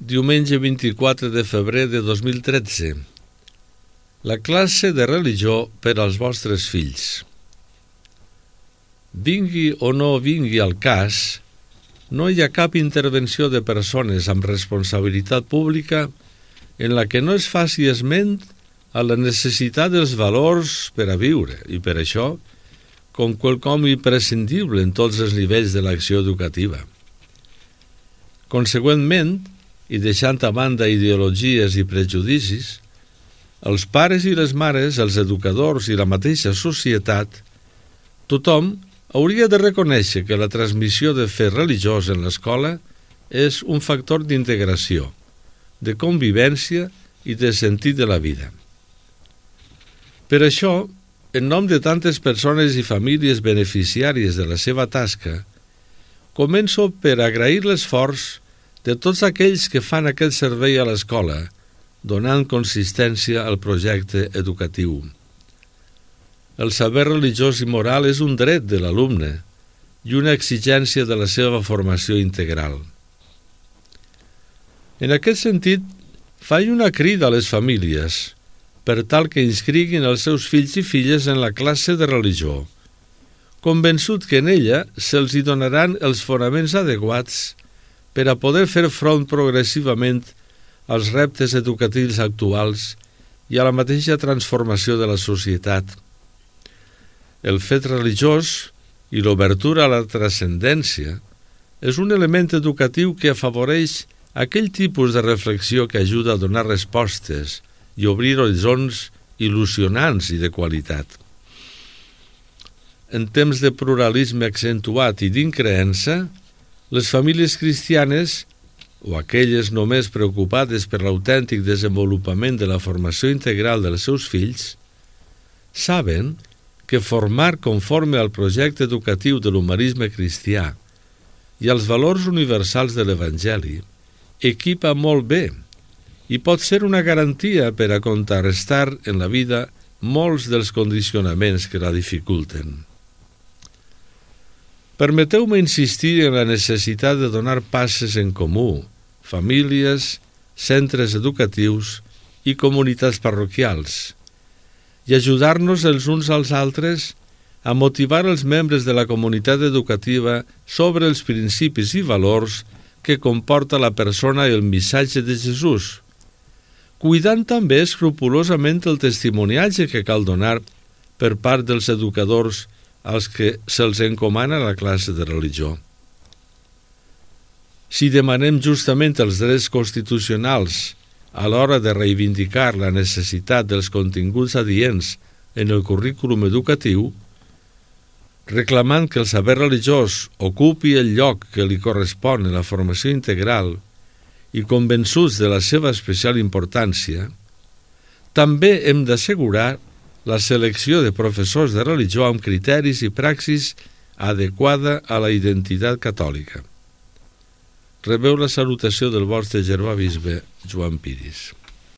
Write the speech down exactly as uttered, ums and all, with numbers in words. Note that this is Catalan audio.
Diumenge vint-i-quatre de febrer de dos mil tretze. La classe de religió per als vostres fills. Vingui o no vingui al cas, no hi ha cap intervenció de persones amb responsabilitat pública en la que no es faci esment a la necessitat dels valors per a viure i per això com quelcom imprescindible en tots els nivells de l'acció educativa. Consegüentment, i deixant a banda ideologies i prejudicis, els pares i les mares, els educadors i la mateixa societat, tothom hauria de reconèixer que la transmissió de fe religiós en l'escola és un factor d'integració, de convivència i de sentit de la vida. Per això, en nom de tantes persones i famílies beneficiàries de la seva tasca, començo per agrair l'esforç de tots aquells que fan aquest servei a l'escola, donant consistència al projecte educatiu. El saber religiós i moral és un dret de l'alumne i una exigència de la seva formació integral. En aquest sentit, faig una crida a les famílies per tal que inscriguin els seus fills i filles en la classe de religió, convençut que en ella se'ls hi donaran els fonaments adequats per a poder fer front progressivament als reptes educatius actuals i a la mateixa transformació de la societat. El fet religiós i l'obertura a la transcendència és un element educatiu que afavoreix aquell tipus de reflexió que ajuda a donar respostes i obrir horitzons il·lusionants i de qualitat. En temps de pluralisme accentuat i d'increença, les famílies cristianes, o aquelles només preocupades per l'autèntic desenvolupament de la formació integral dels seus fills, saben que formar conforme al projecte educatiu de l'humanisme cristià i als valors universals de l'Evangeli equipa molt bé i pot ser una garantia per a contrarrestar en la vida molts dels condicionaments que la dificulten. Permeteu-me insistir en la necessitat de donar passes en comú, famílies, centres educatius i comunitats parroquials, i ajudar-nos els uns als altres a motivar els membres de la comunitat educativa sobre els principis i valors que comporta la persona i el missatge de Jesús, cuidant també escrupolosament el testimoniatge que cal donar per part dels educadors als que se'ls encomana la classe de religió. Si demanem justament els drets constitucionals a l'hora de reivindicar la necessitat dels continguts adients en el currículum educatiu, reclamant que el saber religiós ocupi el lloc que li correspon en la formació integral i convençuts de la seva especial importància, també hem d'assegurar la selecció de professors de religió amb criteris i praxis adequada a la identitat catòlica. Rebeu la salutació del vostre germà bisbe Joan Piris.